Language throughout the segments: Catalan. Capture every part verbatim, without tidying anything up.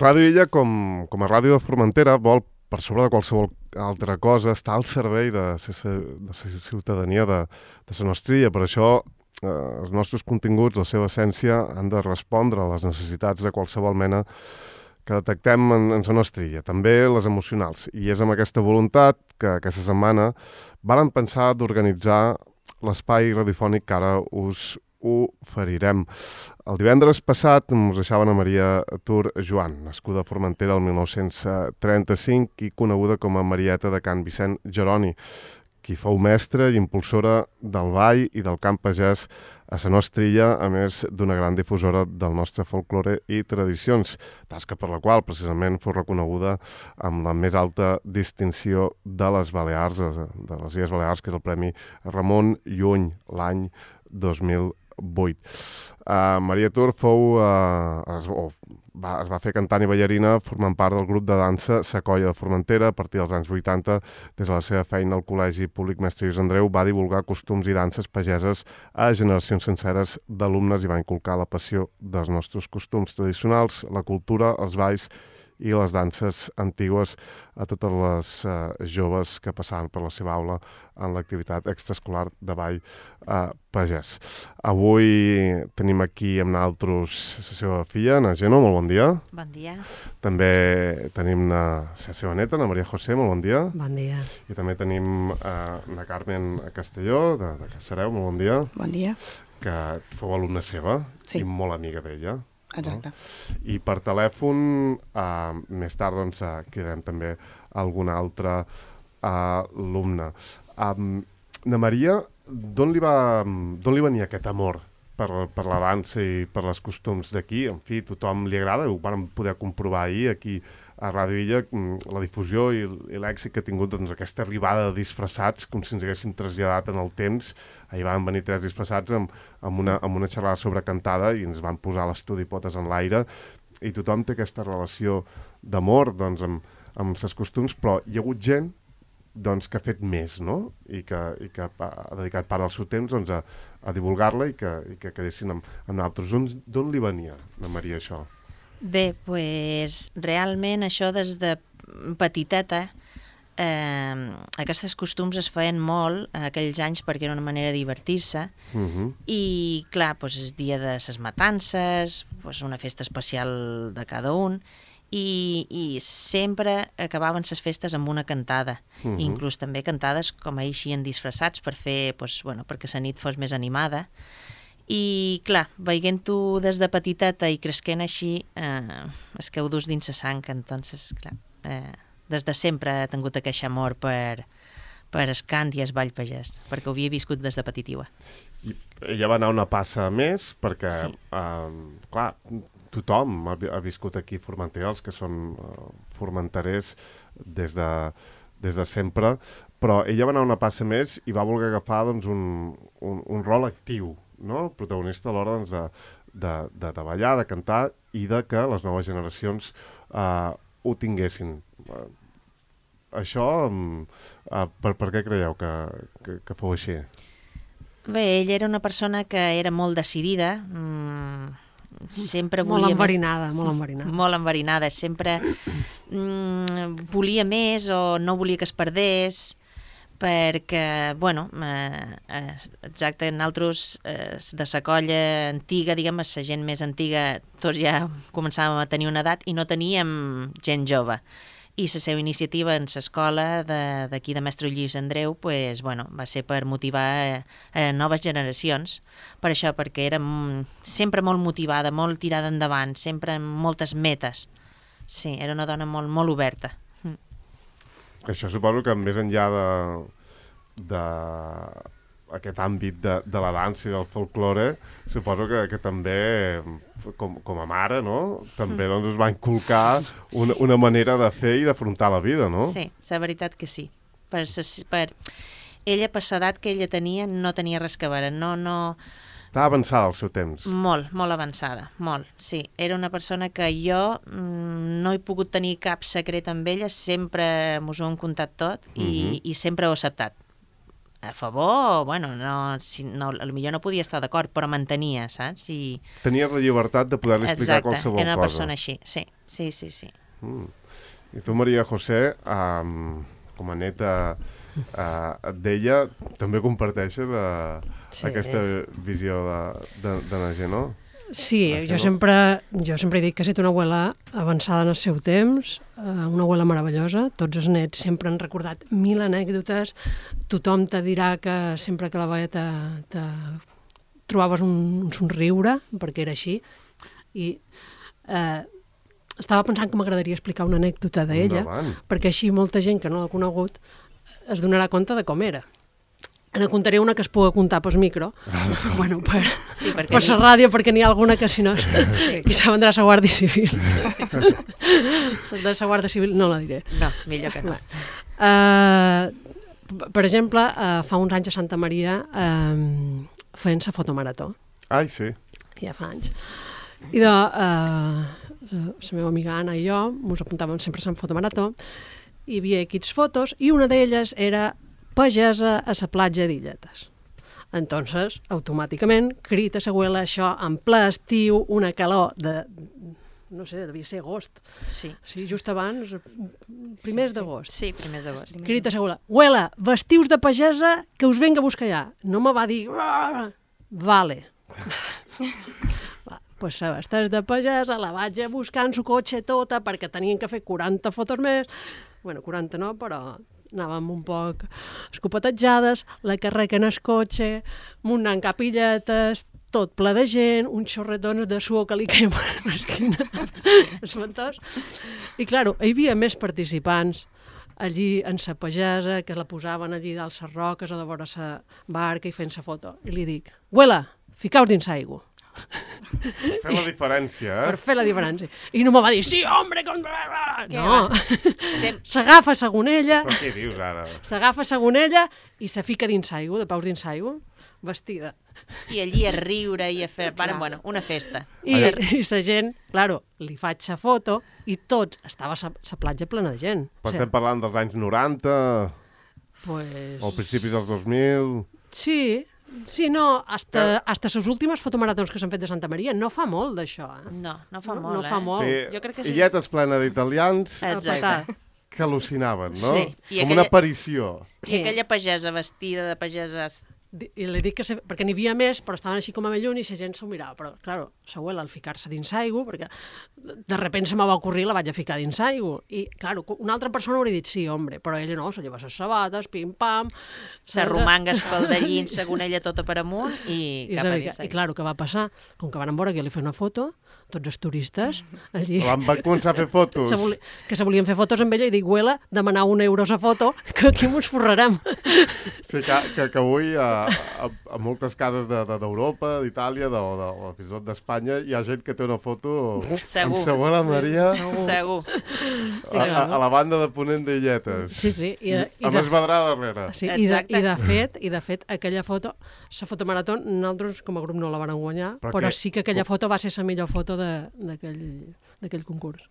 Ràdio Illa, com, com a ràdio de Formentera, vol, per sobre de qualsevol altra cosa, estar al servei de la ciutadania de, de la nostra illa. Per això, eh, els nostres continguts, la seva essència, han de respondre a les necessitats de qualsevol mena que detectem en, en la nostra illa, també les emocionals. I és amb aquesta voluntat que aquesta setmana vàrem pensar d'organitzar l'espai radiofònic que ara us oferirem. El divendres passat us deixaven a Maria Tur Joan, nascuda a Formentera el mil nou-cents trenta-cinc i coneguda com a Marieta de Can Vicent Jeroni, qui fou mestra i impulsora del ball i del camp pagès a la nostra illa, a més d'una gran difusora del nostre folklore i tradicions, tasca per la qual precisament fou reconeguda amb la més alta distinció de les Balears, de les Illes Balears, que és el Premi Ramon Llull, l'any dos mil vuit. Uh, Maria Tur fou, uh, es, oh, va, es va fer cantant i ballarina formant part del grup de dansa Sa Colla de Formentera. A partir dels anys vuitanta, des de la seva feina al Col·legi Públic Mestre Lluís Andreu, va divulgar costums i danses pageses a generacions senceres d'alumnes i va inculcar la passió dels nostres costums tradicionals, la cultura, els balls i les danses antigues a totes les uh, joves que passaven per la seva aula en l'activitat extraescolar de ball uh, pagès. Avui tenim aquí amb nosaltres la seva filla, na Geno, molt bon dia. Bon dia. També tenim na, la seva neta, na Maria José, molt bon dia. Bon dia. I també tenim uh, na Carmen Castelló, de, de Caçareu, molt bon dia. Bon dia. Que fou alumna seva sí. i molt amiga d'ella. Exacte. No? I per telèfon, uh, més tard, doncs, uh, cridarem també algun altre uh, alumne. Um, na Maria, d'on li, va, d'on li venia aquest amor per, per la dansa i per els costums d'aquí? En fi, tothom li agrada, ho vam poder comprovar ahir aquí a Ràdio Illa, la difusió i, i l'èxit que ha tingut doncs, aquesta arribada de disfressats, com si ens haguéssim traslladat en el temps. Ahir van venir tres disfressats amb, amb, una, amb una xerrada sobre cantada i ens van posar l'estudi potes en l'aire i tothom té aquesta relació d'amor doncs, amb, amb els costums, però hi ha hagut gent doncs, que ha fet més, no? I que, i que ha dedicat part del seu temps doncs, a, a divulgar-la i que, i que quedessin amb, amb nosaltres. D'on li venia, na Maria, això? Bé, doncs realment això des de petiteta, eh, aquests costums es feien molt en aquells anys perquè era una manera de divertir-se uh-huh. i clar, doncs el dia de les matances, doncs una festa especial de cada un i, i sempre acabaven les festes amb una cantada, uh-huh. inclús també cantades com eixien disfressats per fer, doncs, bueno, perquè la nit fos més animada. I, clar, veient-ho des de petiteta i cresquent així, eh, es queu dus dins la sang, entonces, clar, eh, des de sempre he tingut aquest amor per, per el cant i el ball pagès, perquè ho havia viscut des de petitiva. I ella va anar una passa més, perquè, sí. eh, clar, tothom ha, ha viscut aquí a Formentera, els que són uh, formenterers des de, des de sempre, però ella va anar una passa més i va voler agafar doncs, un, un, un rol actiu, no? Protagonista a l'hora doncs, de, de, de, de ballar, de cantar i de que les noves generacions uh, ho tinguessin. Uh, això, um, uh, per, per què creieu que, que, que fou així? Bé, ella era una persona que era molt decidida, mm, sempre volia... Molt enverinada, molt enverinada. Molt enverinada, sempre mm, volia més o no volia que es perdés, perquè, bueno, eh, exacte, nosaltres eh, de la colla antiga, diguem, la gent més antiga, tots ja començàvem a tenir una edat i no teníem gent jove. I la seva iniciativa en l'escola d'aquí de, de Mestre Lluís Andreu pues, bueno, va ser per motivar a, a noves generacions. Per això, perquè era sempre molt motivada, molt tirada endavant, sempre amb moltes metes. Sí, era una dona molt, molt oberta. Això suposo que més enllà de, de aquest àmbit de, de la dansa i del folklore, suposo que, que també, com, com a mare, no? També doncs, us va inculcar una, una manera de fer i d'afrontar la vida, no? Sí, la veritat que sí. Per, per... Ella, per l'edat que ella tenia, no tenia res que veure. No, no... Estava avançada al seu temps. Molt, molt avançada, molt, sí. Era una persona que jo mm, no he pogut tenir cap secret amb ella, sempre mos ho hem contat tot i, uh-huh. i sempre ho he acceptat. A favor, bueno, no, si, no, potser no podia estar d'acord, però mantenia, saps? I... Tenies la llibertat de poder-li explicar Exacte, qualsevol cosa. Exacte, era una persona així, sí, Sí, sí, sí. Mm. I tu, Maria José, um, com a neta uh, d'ella, també comparteixes uh, sí. aquesta visió de, de, de la gent, no? Sí, jo sempre, jo sempre he dit que he estat una abuela avançada en el seu temps, una abuela meravellosa, tots els nets sempre han recordat mil anècdotes, tothom te dirà que sempre que la veia te, te trobaves un, un somriure, perquè era així, i eh, estava pensant que m'agradaria explicar una anècdota d'ella, perquè així molta gent que no l'ha conegut es donarà compte de com era. Ne contaré una que es pugui contar pel micro, bueno, per, sí, per la ni... ràdio, perquè n'hi ha alguna que si no, sí. Qui s'ha vendrà a la Guàrdia Civil. Sí. De la Guàrdia Civil no la diré. No, millor que no. Uh, per exemple, uh, fa uns anys a Santa Maria uh, feien la fotomarató. Ai, sí. Ja fa anys. I de, uh, la meva amiga Anna i jo ens apuntàvem sempre a la fotomarató, hi havia equips fotos i una d'elles era pagesa a la platja d'Illetes. Entonces, automàticament, crida a l'abuela això en ple estiu, una calor de, no sé, devia ser agost. Sí. Sí, just abans, primers sí, d'agost. Sí, primers d'agost. Crida a l'abuela, abuela, vestius de pagesa que us venga a buscar allà. No me va dir, vale. Va, pues se vesteix de pagesa, la vaig a buscar en su cotxe tota perquè tenien que fer quaranta fotos més. Bueno, quaranta no, però anàvem un poc escopetejades, la carreguen el cotxe, muntant capilletes, tot ple de gent, uns xorretons de suor que li queim a l'esquina, espantós. I, clar, hi havia més participants allí en sa pagesa, que la posaven allí dalt les roques o de vora sa barca i fent sa foto. I li dic, abuela, ficaus dins aigua. Per fer la diferència, eh? Per fer la diferència. I no me va dir, sí, hombre, com... No. S'agafa segonella... Però què dius ara? S'agafa segonella i se fica dins aigua, de paus dins aigua, vestida. I allí a riure i a fer... Bueno, bueno, una festa. I, i la gent, claro, li faig la foto i tots, estava la platja plena de gent. Però estem parlant dels anys noranta, pues... o al principi dels dos mil... Sí, sí, no, hasta, hasta les últimes fotomaratons que s'han fet de Santa Maria, no fa molt d'això, eh? No, no fa no, molt, no fa eh? molt. Sí, jo crec que sí. Illetes plena d'italians Exacte. Que al·lucinaven, no? Sí. Com aquella... una aparició. I aquella pagesa vestida de pagesa... I li dic que se... perquè n'hi havia més, però estaven així com a lluny i la gent s'ho mirava. Però, clar, l'abuela, al ficar-se dins aigua, perquè de repente se me va ocurrir, la vaig a ficar dins aigua. I, clar, una altra persona hauria dit sí, hombre, però ella no, se lleva les sabates, pim-pam... S'arromangues pel dallín, segonella tota per amunt i, I cap a dins aigua. I, clar, què va passar? Com que van veure que jo li feia una foto, tots els turistes allí... Van començar a fer fotos. Se voli... Que se volien fer fotos amb ella i dic, abuela, demanar un euro a foto, que aquí mos forrarem. Sí, que, que, que avui a, a, a moltes cases d'Europa, de, d'Itàlia, de, de, o fins i tot d'Espanya, hi ha gent que té una foto Segur. amb sa abuela Maria Segur. A, a, a la banda de Ponent d'Illetes. Sí, sí. I, i amb de... es vedrà darrere. Sí, i, de, i, de fet, I de fet, aquella foto, la fotomarató, nosaltres com a grup no la vam guanyar, però, però que... sí que aquella foto va ser la millor foto d'aquell concurs.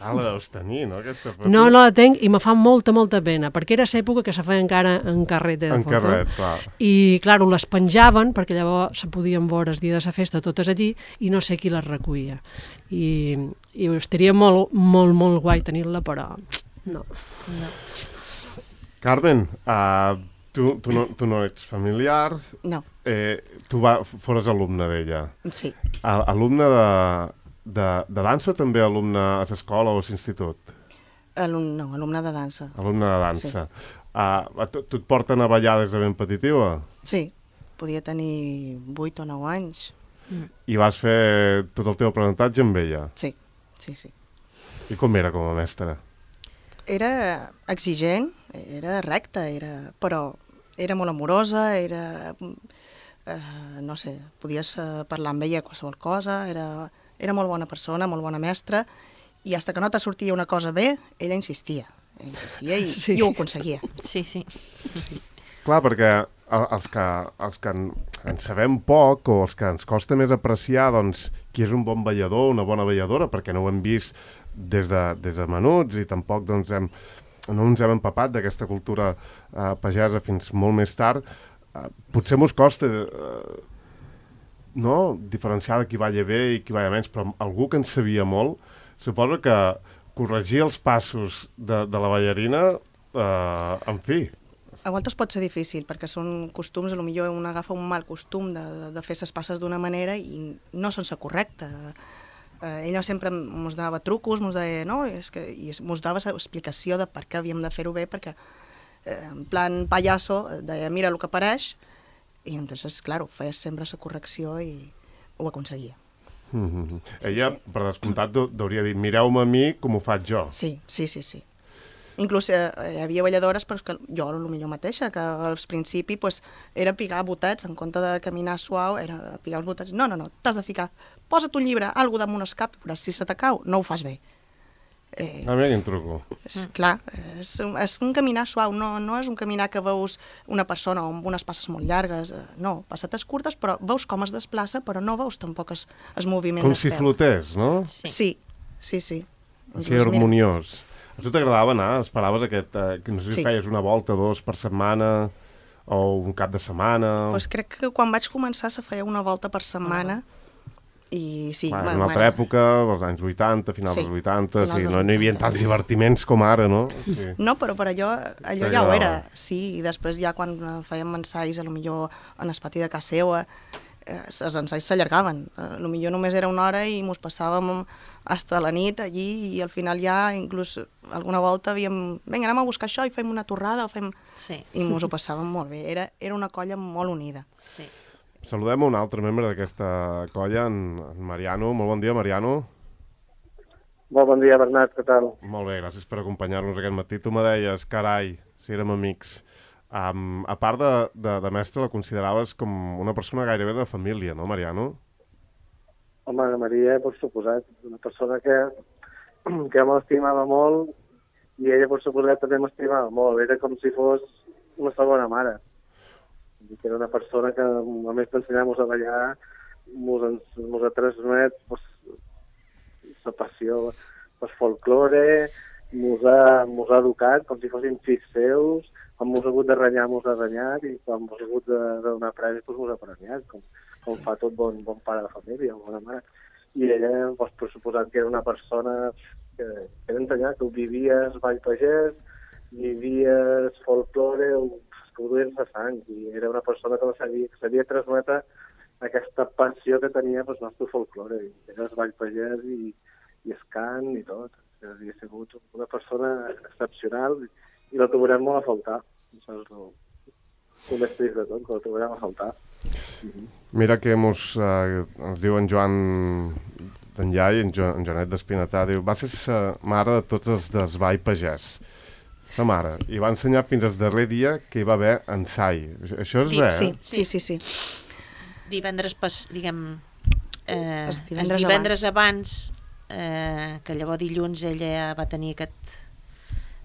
Ah, la deus tenir, no, aquesta foto? No, no la tenc i me fa molta, molta pena, perquè era l'època que se feia encara en carret de en foto. En carret, clar. I, clar, les penjaven, perquè llavors se podien veure el dia de la festa totes allí, i no sé qui les recollia. I, i estaria molt, molt, molt guai tenir-la, però no. no. Carmen, uh, tu, tu, no, tu no ets familiar. No. Eh, tu va, fores alumne d'ella. Sí. A, alumne de... De, de dansa o també alumne a l'escola o a l'institut? Alum, no, alumne de dansa. Alumne de dansa. Sí. Uh, tu, tu et porten a ballar des de ben petitiva? Sí, podia tenir vuit o nou anys. Mm. I vas fer tot el teu aprenentatge amb ella? Sí, sí, sí. I com era com a mestra? Era exigent, era recta, era... però era molt amorosa, era... Eh, no sé, podies parlar amb ella qualsevol cosa, era... Era molt bona persona, molt bona mestra, i fins que no te sortia una cosa bé, ella insistia. Insistia i, sí. i ho aconseguia. Sí, sí. sí. Clar, perquè els que, els que en, en sabem poc o els que ens costa més apreciar doncs, qui és un bon ballador, una bona balladora, perquè no ho hem vist des de, des de menuts i tampoc doncs, hem, no ens hem empapat d'aquesta cultura eh, pagesa fins molt més tard, eh, potser mos costa... Eh, no? diferenciar de qui balla bé i qui balla menys, però algú que en sabia molt, suposo que corregir els passos de, de la ballarina, eh, en fi... A voltes pot ser difícil, perquè són costums, potser un agafa un mal costum de, de, de fer les passes d'una manera i no són la correcta. Eh, ella sempre ens donava trucos, ens deia, no, és que, i ens dava l'explicació de per què havíem de fer-ho bé, perquè eh, en plan pallasso deia, mira el que apareix, i entonces, clar, feia sempre la correcció i ho aconseguia. Mm-hmm. Ella, sí. Per descomptat, hauria dit, mireu-me a mi com ho faig jo. Sí, sí, sí, sí. Inclús eh, hi havia balladores, però que jo era el millor mateixa, que al principi pues, era picar botets, en compte de caminar suau, era picar els botets. No, no, no, t'has de ficar, posa't un llibre, algo damunt el cap, però si se te cau, no ho fas bé. Eh, a mi quin truco. És, clar, és, és un caminar suau, no, no és un caminar que veus una persona amb unes passes molt llargues, no, passetes curtes, però veus com es desplaça, però no veus tampoc el, el moviment com del si peu. flotés, no? Sí, sí, sí. sí. Així harmoniós. Mira. A tu t'agradava anar? Esperaves aquest... Eh, que no sé si sí. Feies una volta, dos per setmana, o un cap de setmana... Pues crec que quan vaig començar se feia una volta per setmana, ah. i sí... Ah, una altra època, als anys vuitanta, finals sí. dels vuitanta, sí, no, no hi havia tants divertiments com ara, no? Sí. No, però per allò, allò ja ho era, sí, i després ja quan fèiem ensaios, potser en el pati de casa seva, eh, els ensaios s'allargaven, eh, potser només era una hora i mos passàvem hasta la nit allí, i al final ja inclús alguna volta havíem, vinga, anem a buscar això i fem una torrada, o fem... Sí. I mos ho passàvem molt bé, era, era una colla molt unida. Sí. Saludem un altre membre d'aquesta colla, en, en Mariano. Molt bon dia, Mariano. Molt bon dia, Bernat, què tal? Molt bé, gràcies per acompanyar-nos aquest matí. Tu me deies, carai, si érem amics. Um, a part de, de, de mestre, la consideraves com una persona gairebé de família, no, Mariano? Home, la Maria, per suposat, una persona que, que m'estimava molt, i ella, per suposat, també m'estimava molt. Era com si fos una segona mare. Era una persona que, a més d'ensenyar-nos a ballar, ens ha transmet pues, la passió pel folklore, ens ha, ha educat com si fossin fills seus, quan ens ha hagut de renyar, ens ha renyat, i quan ens ha hagut de, de donar premis, doncs ens ha premiat, com, com fa tot bon, bon pare de família, bona mare. I ella, doncs, per suposat que era una persona que, que era ensenyar, que ho vivies ball pagès, vivies folklore, que ho duies a sang, i era una persona que sabia, que sabia transmetre aquesta passió que tenia pel nostre folklore, i era el ball pagès i, i el cant i tot. Havia sigut una persona excepcional i la trobarem molt a faltar. Això és el, el més trist de tot, que la trobarem a faltar. Mira que mos, eh, ens diu en Joan d'en Llai, en, jo, en Joanet d'Espinatà, diu, va ser sa mare de tots els d'esbai pagès. Sa mare. I va ensenyar fins al darrer dia que hi va haver ensai. Això és sí, bé, sí, eh? Sí, sí, sí. Divendres, pas, diguem, eh, els divendres, divendres abans, abans eh, que llavors dilluns ella va tenir aquest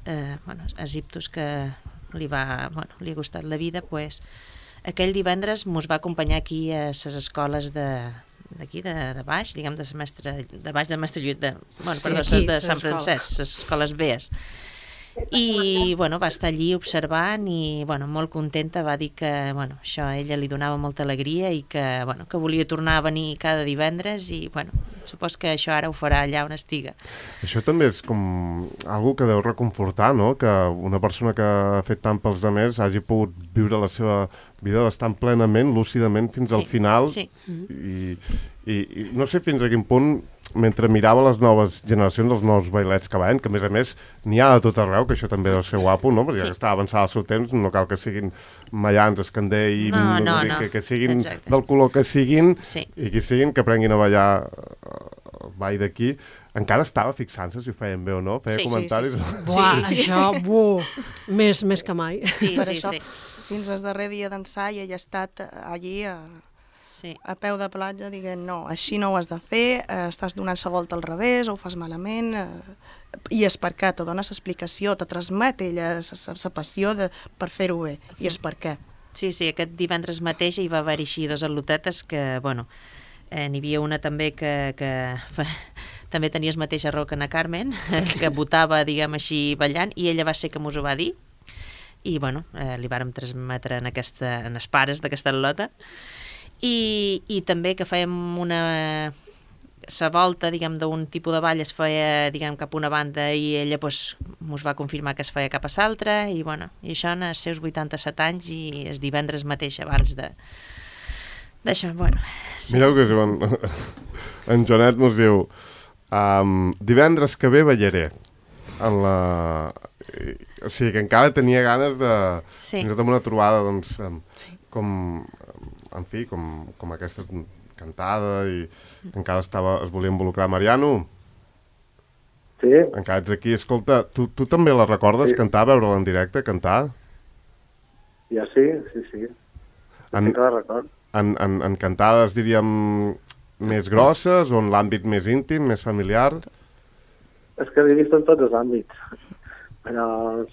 eh, bueno, asiptus que li va, bueno, li ha costat la vida, pues, aquell divendres mos va acompanyar aquí a les escoles de d'aquí, de, de baix, diguem, de semestre, de baix de Mestre Lluís, de, bueno, sí, perdó, aquí, de Sant Francesc, les escoles bees. I, bueno, va estar allí observant i, bueno, molt contenta, va dir que, bueno, això a ella li donava molta alegria i que, bueno, que volia tornar a venir cada divendres i, bueno, supos que això ara ho farà allà on estiga. Això també és com algo que deu reconfortar, no? Que una persona que ha fet tant pels altres hagi pogut viure la seva vida bastant plenament, lúcidament, fins sí, al final. Sí. I, i, i no sé fins a quin punt, mentre mirava les noves generacions, els nous bailets que van, que a més a més n'hi ha de tot arreu, que això també deu ser guapo, no? Perquè sí, ja està avançat el seu temps, no cal que siguin mallans, escander i no, no, no, no. Que, que siguin Exacte. Del color que siguin, sí, i que siguin, que aprenguin a ballar el ball d'aquí. Encara estava fixant-se si ho feien bé o no, feia sí, comentaris. Sí, sí, sí. Buah, sí, sí. això, buh, més, més que mai. Sí, Per sí, això, sí. fins al darrer dia d'ensai ella ha estat allí a, Sí. a peu de platja dient no, així no ho has de fer, eh, estàs donant la volta al revés, o ho fas malament, eh, i és per què, te dones explicació, te transmet ella la passió de, per fer-ho bé, i és per què. Sí, sí, aquest divendres mateix hi va haver així dos atlotetes que, bueno, eh, n'hi havia una també que, que fa, també tenia el mateix error que na Carmen, que votava, diguem així, ballant, i ella va ser que mos ho va dir, i, bueno, eh, li vàrem transmetre en, aquesta, en els pares d'aquesta atlota. I, i també que fèiem una la volta, diguem, d'un tipus de ball es feia, diguem, cap a una banda i ella pues, mos va confirmar que es feia cap a l'altra i, bueno, i això en els seus vuitanta-set anys i el divendres mateix abans de d'això, bueno. Sí. Mireu que en, en Joanet mos diu um, divendres que ve ballaré en la... O sigui, que encara tenia ganes de... Sí. Fins i tot amb una trobada, doncs, sí. com... En fi, com, com aquesta cantada i encara estava, es volia involucrar. Mariano? Sí. Encara ets aquí. Escolta, tu, tu també la recordes, sí. Cantar, veure-la en directe, cantar? Ja sí, sí, sí. En, sí que la record. En, en, en cantades, diríem, més grosses o en l'àmbit més íntim, més familiar? És que l'he vist en tots els àmbits. Però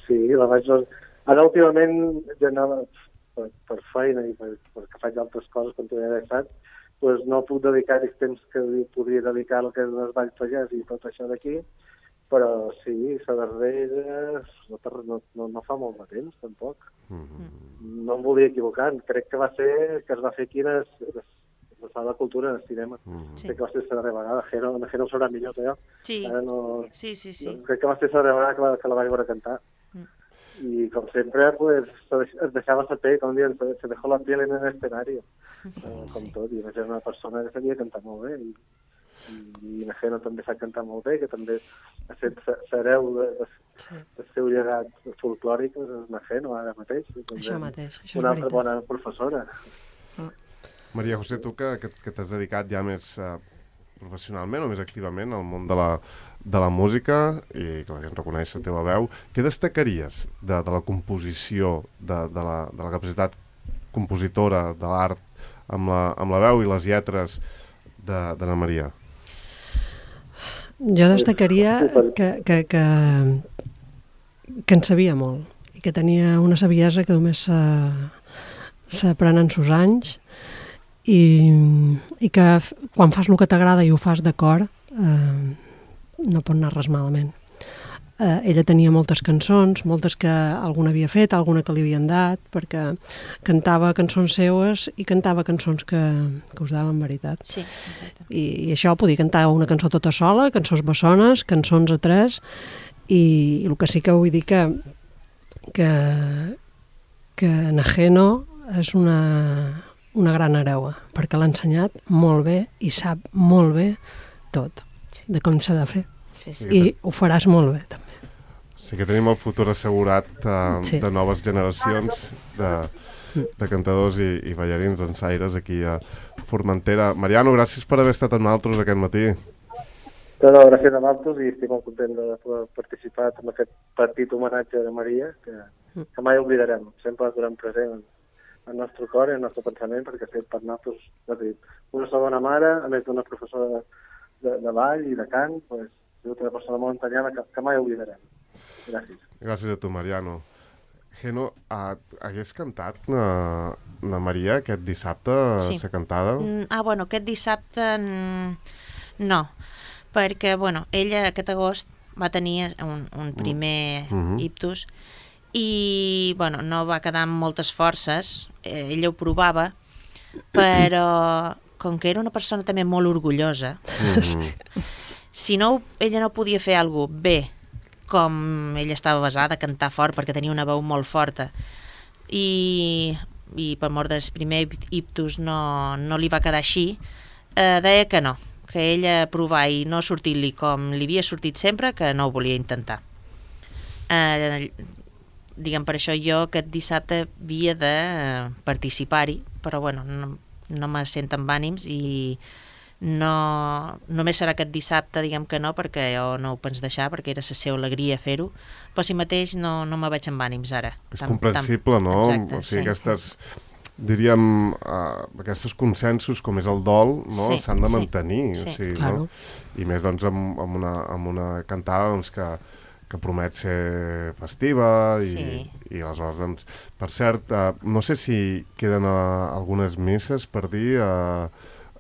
sí, la vaig... Ara últimament ja anava... Per, per feina i per, perquè faig altres coses quan t'ho he deixat, doncs no puc dedicar els temps que podria dedicar al que és els balls pagès i tot això d'aquí, però sí, la darrera no, no, no, no fa molt de temps, tampoc. Mm-hmm. No em volia equivocar, crec que va ser que es va fer aquí a la Sala de Cultura en el cinema. Mm-hmm. Crec que va ser la darrera vegada, Jero, Jero ho sabrà millor que jo. Sí, no, sí, sí, sí. No, crec que va ser la darrera vegada que la, que la vaig veure cantar. Y como siempre, pues, es dejaba la pell, com dient, se dejó la piel en el escenario, eh, com tot, i era una persona que sabia cantar molt bé, i, i Najeno també sap cantar molt bé, que també ha fet l'hereu del de, seu llegat folclòric, és Najeno, ara mateix. Això mateix, això és una altra veritat. bona professora. Maria José, tu que, que, que t'has dedicat ja més... Uh... professionalment o més activament al món de la, de la música i que la gent reconeix la teva veu, què destacaries de, de la composició, de, de, la, de la capacitat compositora, de l'art, amb la, amb la veu i les lletres d'Anna Maria? Jo destacaria que, que, que, que en sabia molt i que tenia una saviesa que només s'aprèn en sos anys i, i que quan fas el que t'agrada i ho fas de cor eh, no pot anar res malament. Eh, ella tenia moltes cançons, moltes que alguna havia fet, alguna que li havien dat, perquè cantava cançons seues i cantava cançons que, que us daven veritat. Sí, exacte. I, i això podia cantar una cançó tota sola, cançons bessones, cançons a tres, i, i el que sí que vull dir que que, que Najeno és una... una gran hereua, perquè l'ha ensenyat molt bé i sap molt bé tot, de com s'ha de fer. Sí, sí. I ho faràs molt bé, també. Sí que tenim el futur assegurat uh, sí. de noves generacions de, de cantadors i, i ballarins dansaires aquí a Formentera. Mariano, gràcies per haver estat amb nosaltres aquest matí. No, no, gràcies a nosaltres i estic molt content de poder participar en aquest petit homenatge de Maria, que, que mai oblidarem, sempre durant present el nostre cor i el nostre pensament, perquè ha fet per nosaltres, una segona mare, a més d'una professora de, de, de ball i de cant, pues, una persona molt entenyada que, que mai oblidarem. Gràcies. Gràcies a tu, Mariano. Geno, uh, hagués cantat na, na Maria aquest dissabte, sí. la cantada? Ah, bueno, aquest dissabte no, perquè, bueno, ella aquest agost va tenir un, un primer mm-hmm. ictus i, bueno, no va quedar amb moltes forces, eh, ella ho provava, però com que era una persona també molt orgullosa, mm-hmm. si no, ella no podia fer alguna cosa bé, com ella estava basada a cantar fort perquè tenia una veu molt forta i, i per mort del primer ictus no, no li va quedar així, eh, deia que no, que ella provar i no sortir-li com li havia sortit sempre, que no ho volia intentar. Eh, diguem, per això jo aquest dissabte havia de participar-hi, però bueno, no, no me sent amb ànims i no, només serà aquest dissabte, diguem que no, perquè jo no ho pens deixar, perquè era la seva alegria fer-ho, però si mateix no, no me veig amb ànims ara. És tam, comprensible, tam... no? Exacte, o sigui, sí. Aquestes, diríem, uh, aquests consensos, com és el dol, no? Sí, s'han de mantenir. Sí, o sigui, claro. No? I més, doncs, amb, amb, una, amb una cantada, doncs, que que promet ser festiva i, sí. i aleshores, doncs, per cert, uh, no sé si queden uh, algunes misses per dir a,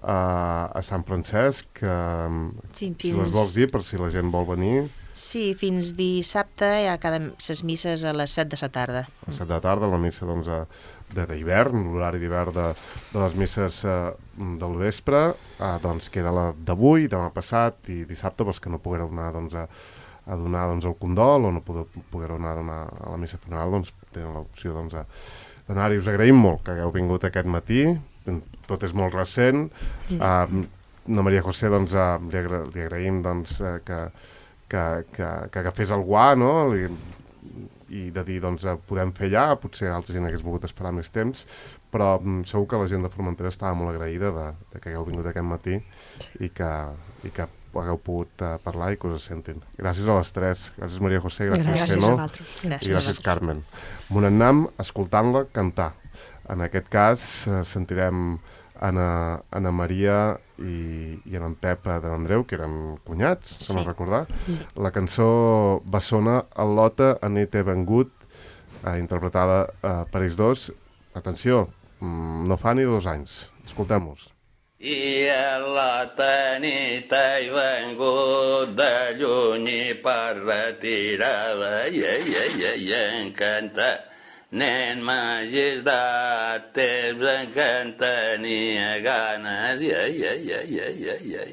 a, a Sant Francesc, uh, sí, si les vols dir per si la gent vol venir. Sí, fins dissabte hi ha cada les misses a les set de la tarda. A les set de la tarda, la missa doncs, de d'hivern, l'horari d'hivern de, de les misses eh, del vespre, eh, doncs queda la d'avui, demà passat i dissabte, pels que no poguereu anar doncs, a, a donar doncs, el condol o no poguereu anar a donar a la missa funeral, doncs tenen l'opció doncs, d'anar-hi. Us agraïm molt que hagueu vingut aquest matí, tot és molt recent. Sí. Uh, la Maria José, doncs, uh, li, agra li agraïm doncs, uh, que, que, que, que agafés el guà, no? Li, i de dir, doncs, podem fer ja, potser altra gent hagués volgut esperar més temps, però um, segur que la gent de Formentera estava molt agraïda de, de que hagueu vingut aquest matí i que, i que hagueu pogut uh, parlar i que us sentin. Gràcies a les tres. Gràcies, Maria José, gràcies, gràcies Xeno, a vosaltres. Gràcies i gràcies, Carmen. M'ho anem escoltant-la cantar. En aquest cas, uh, sentirem Anna, Anna Maria i, i en Pep de l'Andreu, que eren cunyats, sí. Se m'ha recordat. Sí. La cançó Bessona, el Lota, anit he vengut, eh, interpretada eh, per ells dos. Atenció, mm, no fa ni dos anys. Escoltem-los. I a la nit he vengut de lluny i per retirada i, i, i, i encantat. Nen m'hagis dat temps en què en tenia ganes, i, i, i, i, i, i.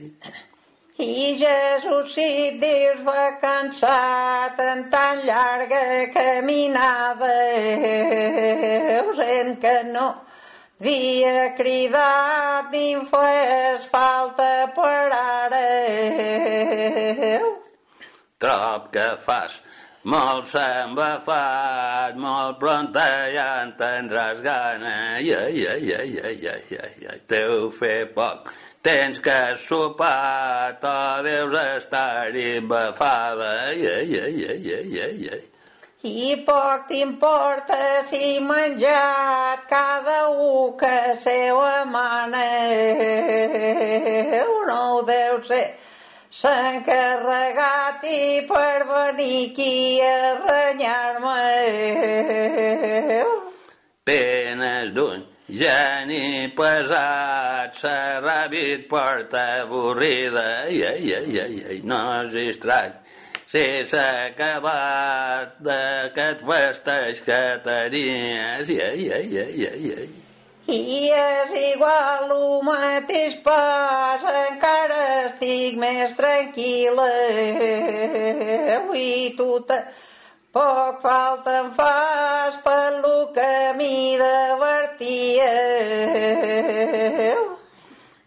I Jesús, si et dius va cansat en tan llarga caminada, sent que no havia cridat ni em fes falta per ara. Trob que fas molt s'embafat, molt pronta ja en tindràs gana, i, i, i, i, i, i, i, teu fer poc. Tens que sopar, o deus estar embafada, i, i, i, i, i, i. I poc t'importa si menjat cada u que seva mana, no ho deu ser s'ha encarregat i per venir aquí a renyar-me. Penes d'un geni pesat, s'ha ràbit porta avorrida, i, i, i, i, no és estrany si s'ha acabat d'aquest festeig que tenies, i, i, i, i, i. I és igual el mateix pas, encara estic més tranquil·la. I tu poc falta em fas per lo que m'hi divertia.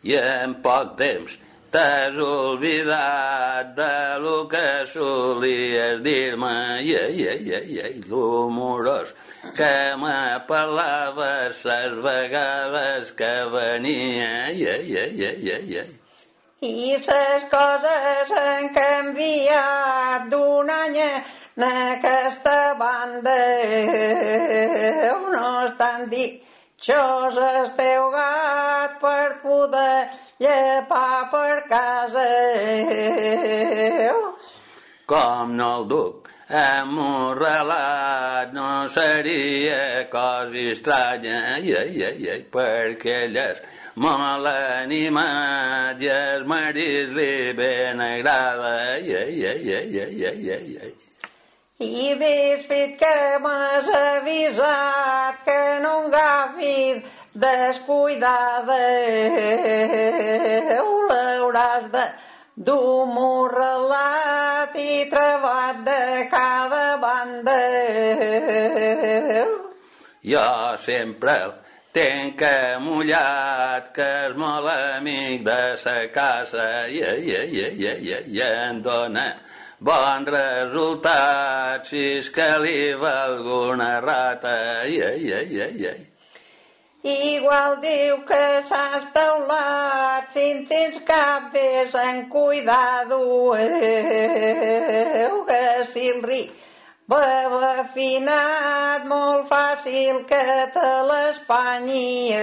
I en poc temps t'has oblidat de lo que solies dir-me, i, i, i, i, l'humorós que m'apel·laves les vegades que venia, i, i, i, i, i. I ses coses han canviat d'un any en aquesta banda, no estan ditxoses teu gat per poder llepar per casa. Com no el duc amorralat, no seria cosa estranya, i, i, i, perquè ell és molt animat i el marit li ben agrada, i, i, i, i, i, i. I ves fet que m'has avisat que no agafis descuidada, l'hauràs de dur morrelat i trebat de cada banda. Jo sempre el tenc amullat, que és molt amic de sa casa, i, i, i, i, i, i en dona bon resultat si és que li va alguna rata, i, i, i, i, i. Igual diu que s'has teulat, si en tens cap vés en cuidado, que si el ric va afinat, molt fàcil que te l'espanyi.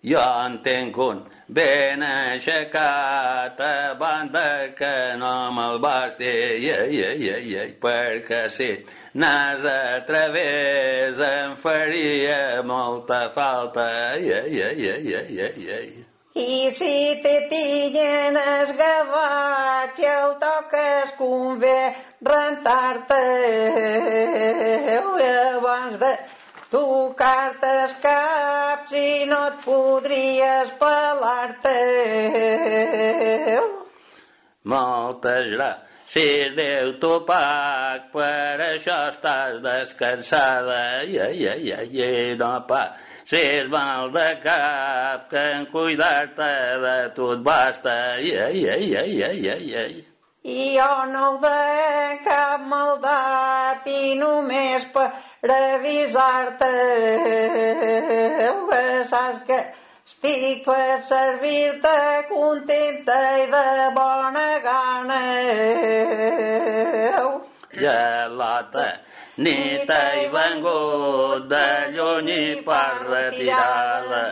Jo en tenc un ben aixecat, a banda que no me'l basti, i, i, i, i, perquè si n'has a través em faria molta falta, i, i, i, i, i, i. I si te tinyen esgavat i el toques convé rentar-te abans de tocar-te els caps i no et podries pelar-te. Moltes gràcies, Déu t'ho pac, per això estàs descansada. I, i, i, i, no passis mal de cap, que en cuidar-te de tu et basta. I, i, i, i, i, i. I jo no ho de cap maldat i només per avisar-te que saps que estic per servir-te contenta i de bona gana. Gelota, ni t'he vengut de lluny i per retirada.